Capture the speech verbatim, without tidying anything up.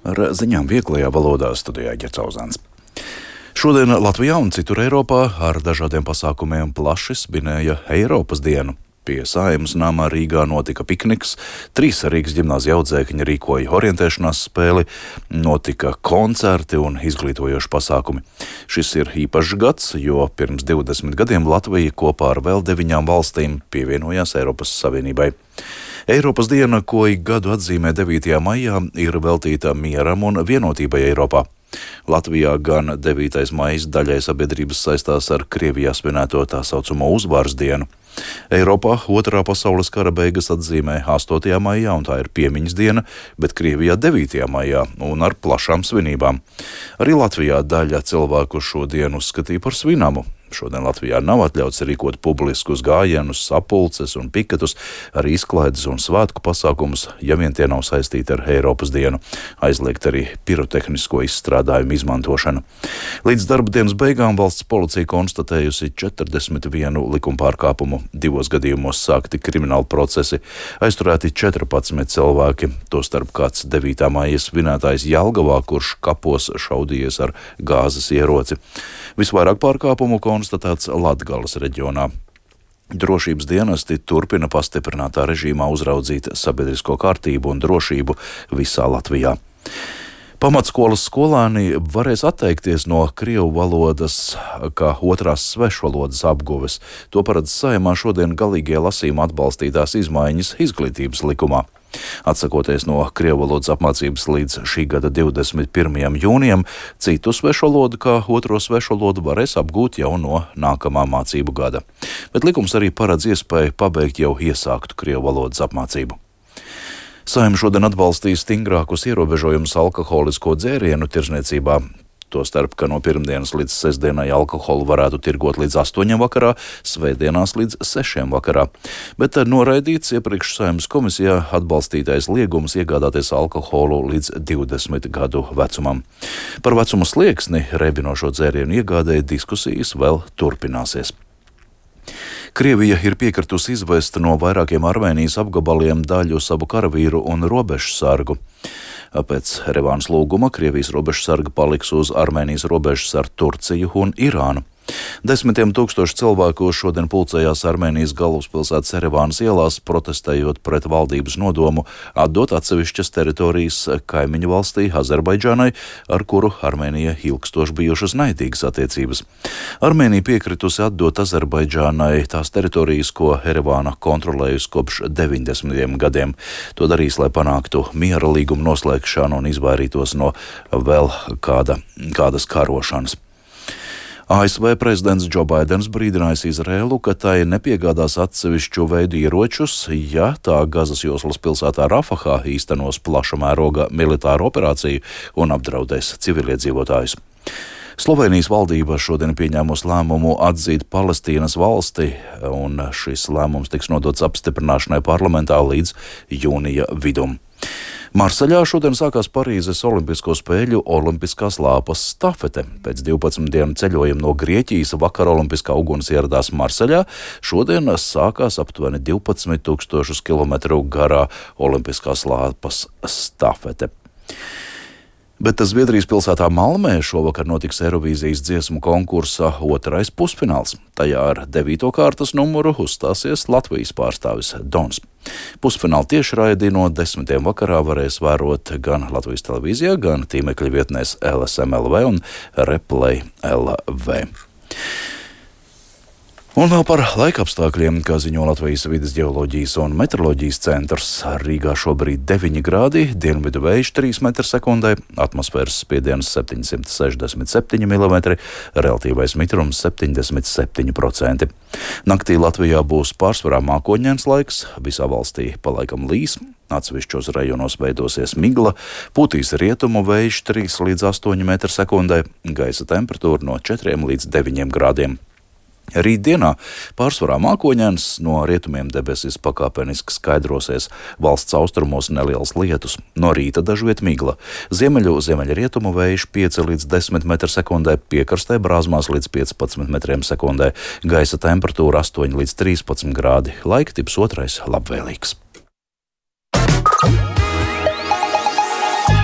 Ar ziņām vieglajā valodā studijā Ģercauzāns. Šodien Latvijā un citur Eiropā ar dažādiem pasākumiem plaši svinēja Eiropas dienu. Pie Saeimas nama Rīgā notika pikniks, trīs Rīgas ģimnāzija audzēkņi rīkoja orientēšanās spēli, notika koncerti un izglītojoši pasākumi. Šis ir īpašs gads, jo pirms divdesmit gadiem Latvija kopā ar vēl deviņām valstīm pievienojās Eiropas Savienībai. Eiropas diena, ko ik gadu atzīmē devītajā maijā, ir veltīta mieram un vienotībai Eiropā. Latvijā gan devītais maijs daļai sabiedrības saistās ar Krievijā svinēto tā saucamo uzvaras dienu. Eiropā otrā pasaules kara beigas atzīmē astotajā maijā, un tā ir piemiņas diena, bet Krievijā devītajā maijā un ar plašām svinībām. Arī Latvijā daļa cilvēku šo dienu uzskatīja par svinamu. Šodien Latvijā nav atļauts rīkot publiskus gājienus, sapulces un piketus, arī izklaides un svētku pasākumus, ja vien tie nav saistīti ar Eiropas dienu. Aizliegt arī pirotehnisko izstrādājumu izmantošanu. Līdz darba dienas beigām valsts policija konstatējusi četrdesmit vienu likumpārkāpumu. Divos gadījumos sākti krimināli procesi, aizturēti četrpadsmit cilvēki, tostarp kāds devītā maija svinētājs Jelgavā, kurš kapos šaudījies ar gāzes ieroci. Visvairāk pārkāpumu konstatēts Latgales reģionā. Drošības dienesti turpina pastiprinātā režīmā uzraudzīt sabiedrisko kārtību un drošību visā Latvijā. Pamatskolas skolēni varēs atteikties no krievu valodas kā otrās svešvalodas apguves. To paredz Saeimā šodien galīgie lasījuma atbalstītās izmaiņas izglītības likumā. Atsakoties no krievu valodas apmācības līdz šī gada divdesmit pirmajam jūnijam, citu svešvalodu kā otro svešvalodu varēs apgūt jau no nākamā mācību gada. Bet likums arī paredz iespēju pabeigt jau iesāktu krievu valodas apmācību. Saeima šodien atbalstīs stingrākus ierobežojumus alkoholisko dzērienu tirzniecībā. Tostarp, ka no pirmdienas līdz sestdienai alkoholu varētu tirgot līdz astoņiem vakarā, svētdienās līdz sešiem vakarā. Bet noraidīts iepriekš Saeimas komisijā atbalstītais liegums iegādāties alkoholu līdz divdesmit gadu vecumam. Par vecumu slieksni rebinošo dzērienu iegādēji diskusijas vēl turpināsies. Krievija ir piekritusi izvest no vairākiem Armēnijas apgabaliem daļu savu karavīru un robežsargu. Pēc Erevānas lūguma Krievijas robežsarga paliks uz Armēnijas robežas ar Turciju un Irānu. Desmitiem tūkstoši cilvēku šodien pulcējās Armēnijas galvaspilsētas Erevānas ielās, protestējot pret valdības nodomu atdot atsevišķas teritorijas kaimiņu valstī Azerbaidžānai, ar kuru Armēnija ilgstoši bijušas naidīgas attiecības. Armēnija piekritusi atdot Azerbaidžānai tās teritorijas, ko Erevāna kontrolējusi kopš deviņdesmitiem gadiem. To darīs, lai panāktu miera līgumu noslēgšanu un izvairītos no vēl kāda, kādas karošanas. A S V prezidents Džo Baidens brīdinājis Izraēlu, ka tai nepiegādās atsevišķu veidu ieročus, ja tā Gazas joslas pilsētā Rafahā īstenos plaša mēroga militāru operāciju un apdraudēs civiliedzīvotājus. Slovenijas valdība šodien pieņēmusi lēmumu atzīt Palestīnas valsti, un šis lēmums tiks nodots apstiprināšanai parlamentā līdz jūnija vidum. Marseļā šodien sākās Parīzes olimpisko spēļu olimpiskās lāpas stafete. Pēc divpadsmit dienu ceļojuma no Grieķijas vakar olimpiskā uguns ieradās Marseļā. Šodien sākās aptuveni divpadsmit tūkstošus kilometru garā olimpiskās lāpas stafete. Bet Zviedrijas pilsētā Malmē šovakar notiks Eirovīzijas dziesmu konkursa otrais pusfināls. Tajā ar devīto kārtas numuru uzstāsies Latvijas pārstāvis Dons. Pusfinālu tiešraidi no desmitiem vakarā varēs vērot gan Latvijas televīzijā, gan tīmekļa vietnēs L S M L V un Replay L V. Un vēl par laikapstākļiem, kā ziņo Latvijas vides ģeoloģijas un meteoroloģijas centrs. Rīgā šobrīd deviņi grādi, dienvidu vējš trīs metri sekundē, atmosfēras spiediens septiņsimt sešdesmit septiņi milimetri, relatīvais mitrums septiņdesmit septiņi procenti. Naktī Latvijā būs pārsvarā mākoņains laiks, visā valstī palaikam līs, atsevišķos rajonos veidosies migla, pūtīs rietumu vējš trīs līdz astoņi metri sekundē, gaisa temperatūra no četriem līdz deviņiem grādiem. Rītdienā pārsvarā mākoņains, no rietumiem debesis pakāpeniski skaidrosies, valsts austrumos neliels lietus, no rīta dažviet migla, ziemeļu ziemeļrietumu vējš pieci līdz desmit metri sekundē, piekrastē brāzmās līdz piecpadsmit metriem sekundē, gaisa temperatūra astoņi līdz trīspadsmit grādi, laika tips otrais labvēlīgs.